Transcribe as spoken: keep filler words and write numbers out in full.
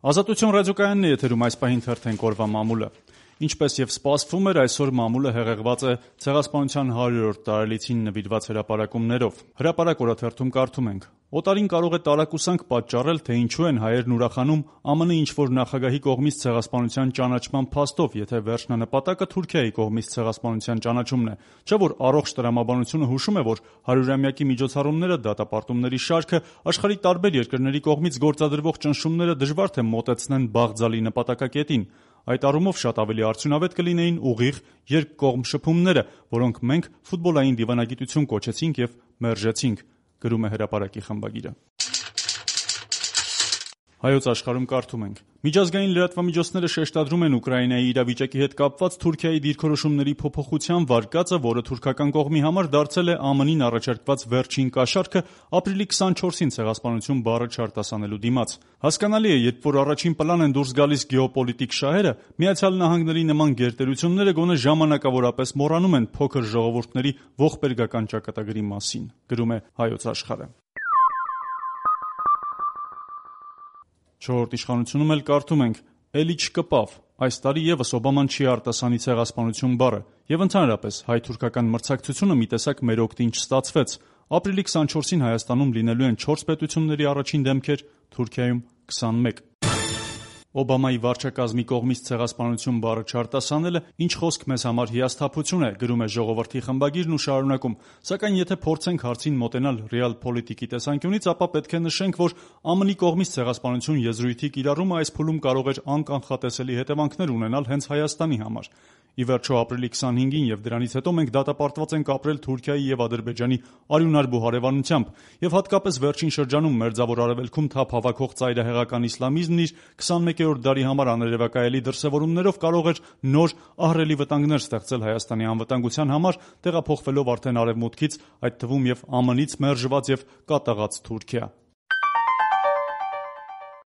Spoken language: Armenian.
Ազատություն ռադիոկայանն է եթերում այս պահին թերթենք օրվա մամուլը։ Ինչպես եւ սպասվում էր, այսօր մամուլը հեղեղված է Ցեղասպանության հարյուրորդ տարելիցին նվիրված հրապարակումներով։ Հրապարակ օրաթերթում կարդում ենք. Օտարին կարող է տարակուսանք պատճառել, թե ինչու են հայերն ուրախանում ԱՄՆ ինչ-որ նախագահի կողմից ցեղասպանության ճանաչման փաստով, եթե վերջնանպատակը Թուրքիայի կողմից ցեղասպանության ճանաչումն է։ Չէ՞ որ առողջ տրամաբանությունը հուշում է, որ հարյուրամյակի միջոցառումները, դատապարտումների շարքը, աշխարհի տարբեր երկրների կողմից գործադրվող ճնշումները դժվար թե մոտեցնեն բաղձալի նպատակակետին։ Այդ առումով շատ ավելի արդյունավետ կլինեին ուղիղ երկկողմ շփումները, որոնք մենք ֆուտբոլային դիվանագիտություն կոչեցինք եւ մերժեցինք, գրում է հրապարակի խմբագիրը։ Հայոց աշխարհում կարդում ենք. Միջազգային լրատվամիջոցները շեշտադրում են Ուկրաինայի իրավիճակի հետ կապված Թուրքիայի դիրքորոշումների փոփոխության վարկածը, որը թուրքական կողմի համար դարձել է ԱՄՆ-ին առաջարկված վերջին կաշառքը ապրիլի քսանչորսին ցեղասպանություն բառը չարտասանելու դիմաց։ Հասկանալի է, երբ որ առաջին պլան են դուրս գալիս գեոպոլիտիկ շահերը, Միացյալ Նահանգների նման գերտերությունները գոնե ժամանակավորապես մոռանում են փոքր ժողովուրդների ողբերգական ճակատագրի մասին, գրում է Հայոց աշխարհը։ Չորրորդ իշխանությունում էլ կարդում ենք. Էլի չկպավ, այս տարի եւս Օբաման չի արտասանի ցեղասպանություն բառը, եւ ընդհանրապես հայ-թուրքական մրցակցությունը մի տեսակ մեր օգտին չստացվեց։ Ապրիլի քսանչորսին Հայաստանում լինելու են չորս պետությունների առաջին դեմքեր, Թուրքիայում քսանմեկ։ Օբամայի վարչակազմի կողմից ցեղասպանություն բառը չարտասանելը ինչ խոսք մեզ համար հիասթափություն է, գրում է Ժողովրդի խմբագիրն ու շարունակում, սակայն եթե փորձենք հարցին մոտենալ ռեալ պոլիտիկի տեսանկյունից, ապա պետք է նշենք, որ ԱՄՆ-ի կողմից ցեղասպանություն եզրույթի կիրառումը այս փուլում կարող էր անկանխատեսելի հետևանքներ ունենալ հենց Հայաստանի համար։ Ի վերջո ապրիլի քսանհինգին եւ դրանից հետո մենք դատապարտված ենք ապրել Թուրքիայի եւ Ադրբեջանի արյունարբու հարևանությամբ եւ հատկապես վերջին շրջանում Մերձավոր Արևելքում թափ հավաքող ծայրահեղական իսլամիզմն իր քսանմեկերորդ դարի համար աներևակայելի դրսևորումներով կարող էր նոր ահռելի վտանգներ ստեղծել Հայաստանի անվտանգության համար, տեղափոխվելով արդեն արևմուտքից, այդ թվում եւ ԱՄՆ-ից մերժված եւ կատաղած Թուրքիա։